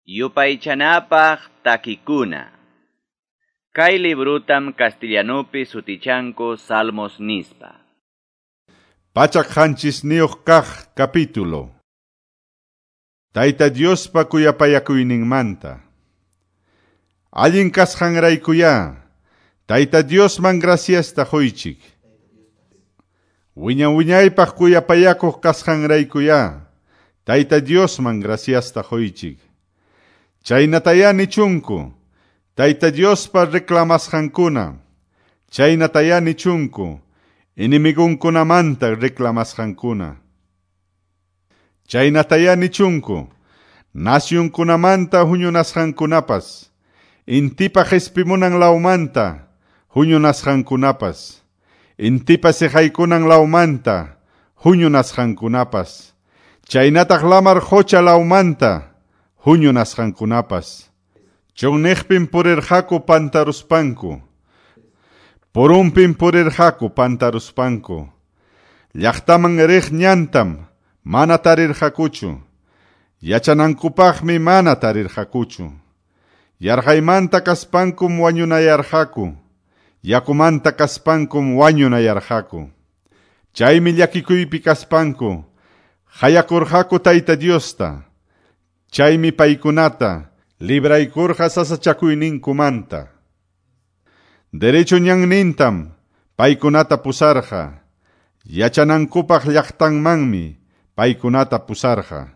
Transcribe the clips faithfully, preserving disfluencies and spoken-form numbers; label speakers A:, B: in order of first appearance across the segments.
A: Yupaychanapaq takikuna. Kay librutam castellanupi sutichanku Salmos nispa.
B: Pachak qanchisniyuq kaq capítulo. Tayta Diospa kuyapayakuyninmanta. Allin kasqanraykuyá, Tayta Diosman graciasta quychik. Wiña wiñaypaq kuyapayakuq kasqanraykuyá, Tayta Diosman graciasta quychik. Chaynatayá nichunku, Tayta Diospa reclamasqankuna. Chaynatayá nichunku, enemigunkunamanta reclamasqankuna. Chaynatayá nichunku, nasyunkunamanta huñunasqankunapas, intipa qhispimunan lawmanta huñunasqankunapas, intipa siqaykunan lawmanta huñunasqankunapas, chaynataq lamar qucha lawmanta huñunasqankunapas. Chunniqpim purirqaku pantaruspanku, purunpim purirqaku pantaruspanku. Llaqtaman riq ñantam mana tarirqakuchu, yachanankupaqmi mana tarirqakuchu. Yarqaymanta kaspankum wañunayarqaku, yakumanta kaspankum wañunayarqaku. Chaymi llakikuypi kaspanku qayakurqaku Tayta Diosta. Chaymi paykunata libraykurqa sasachakuyninkumanta. Derecho ñannintam paykunata pusarqa, yachanankupaq llaqtanmanmi paykunata pusarqa.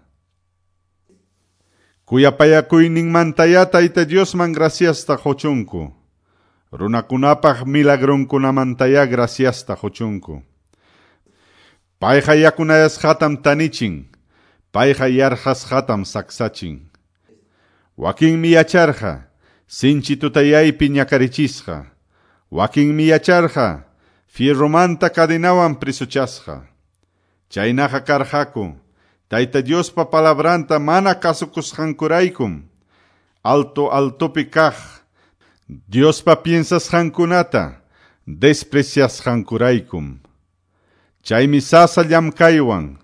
B: Kuyapayakuyninmantayá Tayta Diosman graciasta quchunku. Runakunapaq milagrunkunamantayá graciasta quchunku. Payqa yakunayasqatam tanichin, payqa yarqasqatam saksachin. Wakinmi yacharqa, sinchi tutayaypi ñakarichisqa. Wakinmi yacharqa, fierromanta cadenawan prisuchasqa. Chaynaqa karqaku, Tayta Diospa palabranta mana kasukusqankuraykum, alto altopi kaq Diospa piensasqankunata despreciasqankuraykum. Chaymi sasa llamkaywan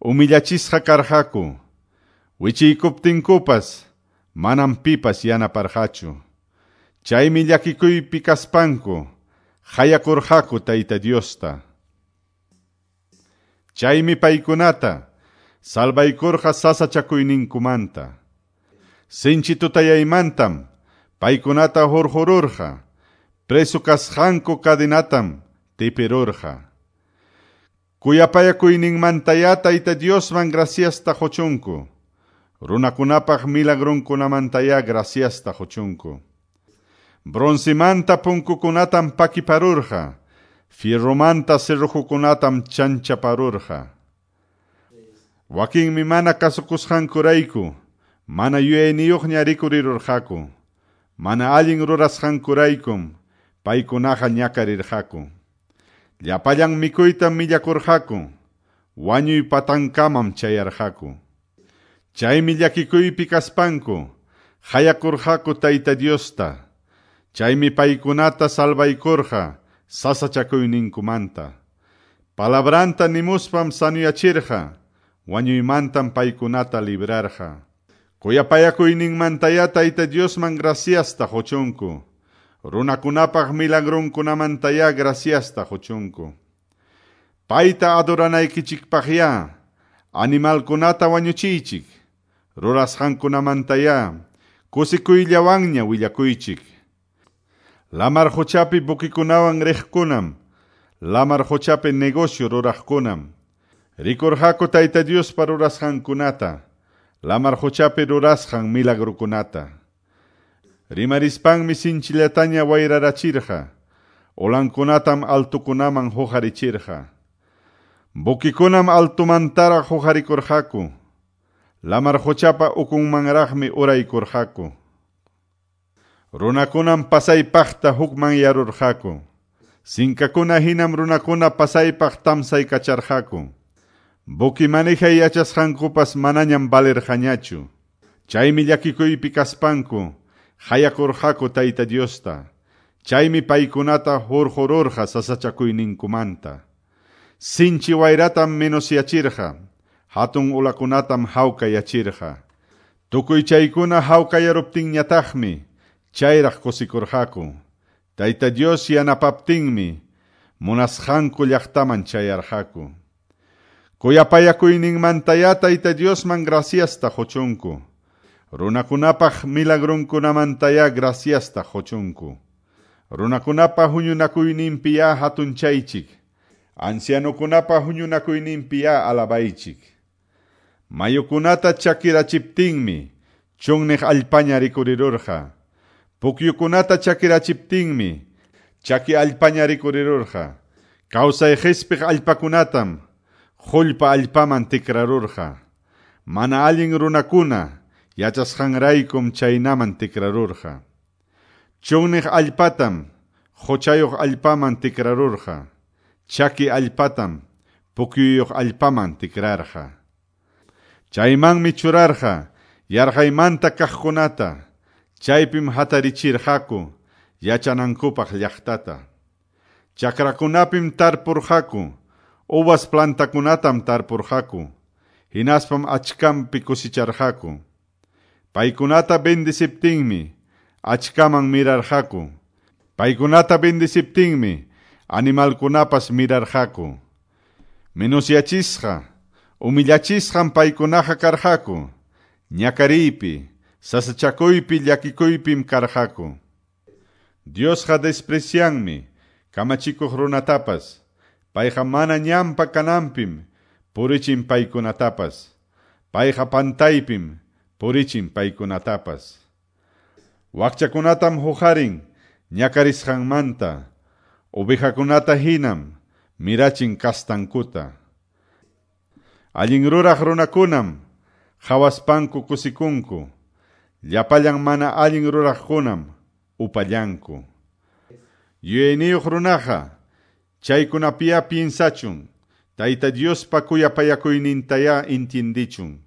B: humillachisqa karqaku, wichiykuptinkupas manam pipas yanaparqachu. Chaymi llakikuypi kaspanku qayakurqaku Tayta Diosta. Chaymi paykunata salvaykurqa sasachakuyninkumanta. Sinchi tutayaymantam paykunata hurqururqa, preso kasqanku cadenatam tipirurqa. Kuyapayakuyninmantayá Tayta Diosman graciasta quchunku. Runakunapaq milagrunkunamantayá graciasta quchunku. Broncemanta punkukunatam pakiparurqa, fierromanta cerrojokunatam chanchaparurqa. Wakinmi mana kasukusqankurayku, mana yuyayniyuqña rikurirurqaku, mana allin rurasqankuraykum paykunaqa ñakarirqaku. Llapallan mikuytam millakurqaku, wañuy patankamam chayarqaku. Chaymi llakikuypi kaspanku qayakurqaku Tayta Diosta. Chaymi paykunata salvaykurqa sasachakuyninkumanta. Palabranta nimuspam sanuyachirqa, wañuymantam paykunata librarqa. Kuyapayakuyninmantayá Tayta Diosman graciasta quchunku. Runakunapaq milagrunkunamantayá graciasta quchunku. Payta adoranaykichikpaqyá animalkunata wañuchiychik, rurasqankunamantayá kusikuyllawanña willakuychik. Lamar quchapi buquikunawan riqkunam, lamar quchapi negocio ruraqkunam, rikurqaku Tayta Diospa rurasqankunata, lamar quchapi rurasqan milagrukunata. Rimarispanmi sinchillataña wayrarachirqa, olankunatam altukunaman huqarichirqa. Buquikunam altumantaraq huqarikurqaku, lamar quchapa ukunmanraqmi uraykurqaku. Runakunam pasaypaqta hukmanyarurqaku. Sinkakuna hinam runakuna pasaypaq tamsaykacharqaku. Buqui manejay yachasqankupas manañam valerqañachu. Chaymi llakikuypi kaspanku qayakurqaku Tayta Diosta. Chaymi paykunata hurqururqa sasachakuyninkumanta. Sinchi wayratam menosyachirqa, hatun ulakunatam hawkayachirqa. Tukuy chaykuna hawkayaruptinñataqmi chayraq kusikurqaku. Tayta Dios yanapaptinmi munasqanku llaqtaman chayarqaku. Kuyapayakuyninmantaya Tayta Diosman graciasta quchunku. Runakunapaq milagrunkunamantaya graciasta quchunku. Runakunapa huñunakuyninpiya hatunchaychik. Ancianokunapa huñunakuyninpiya alabaychik. Mayukunata chakirachiptinmi chunniq allpaña rikurirurqa. Pukyukunata chakirachiptinmi chaki allpaña rikurirurqa. Kawsay qispiq allpakunatam qullpa allpaman tikrarurqa. Mana allin runakuna yachasqanraykum chaynaman tikrarurqa. Chunniq allpatam quchayuq allpaman tikrarurqa. Chaki allpatam pukyuyuq allpaman tikrarqa. Chaymanmi churarqa yarqaymanta kaqkunata, chaypim hatarichirqaku yachanankupaq llaqtata. Chakrakunapim tarpurqaku, uvas plantakunatam tarpurqaku, hinaspam achkampi kusicharqaku. Paykunata bendiciptinmi achkaman mirarqaku. Paykunata bendiciptinmi animalkunapas mirarqaku. Menusyachisqa, humillachisqam paykunaqa karqaku. Ñakariypi, sasachakuypi llakikuypim karqaku. Diosqa desprecianmi kamachikuq runatapas. Payqa mana ñanpa kananpim purichin paykunatapas. Payqa pantaypim purichin paykunatapas. Wakchakunatam huqarin ñakarisqanmanta. Ovejakunata hinam mirachin kastankuta. Allin ruraq runakunam qhawaspanku kusikunku. Llapallan mana allin ruraqkunam upallanku. Yuyayniyuq runaqa chaykunapiya piensachun. Tayta Diospa kuyapayakuynintaya intindichun.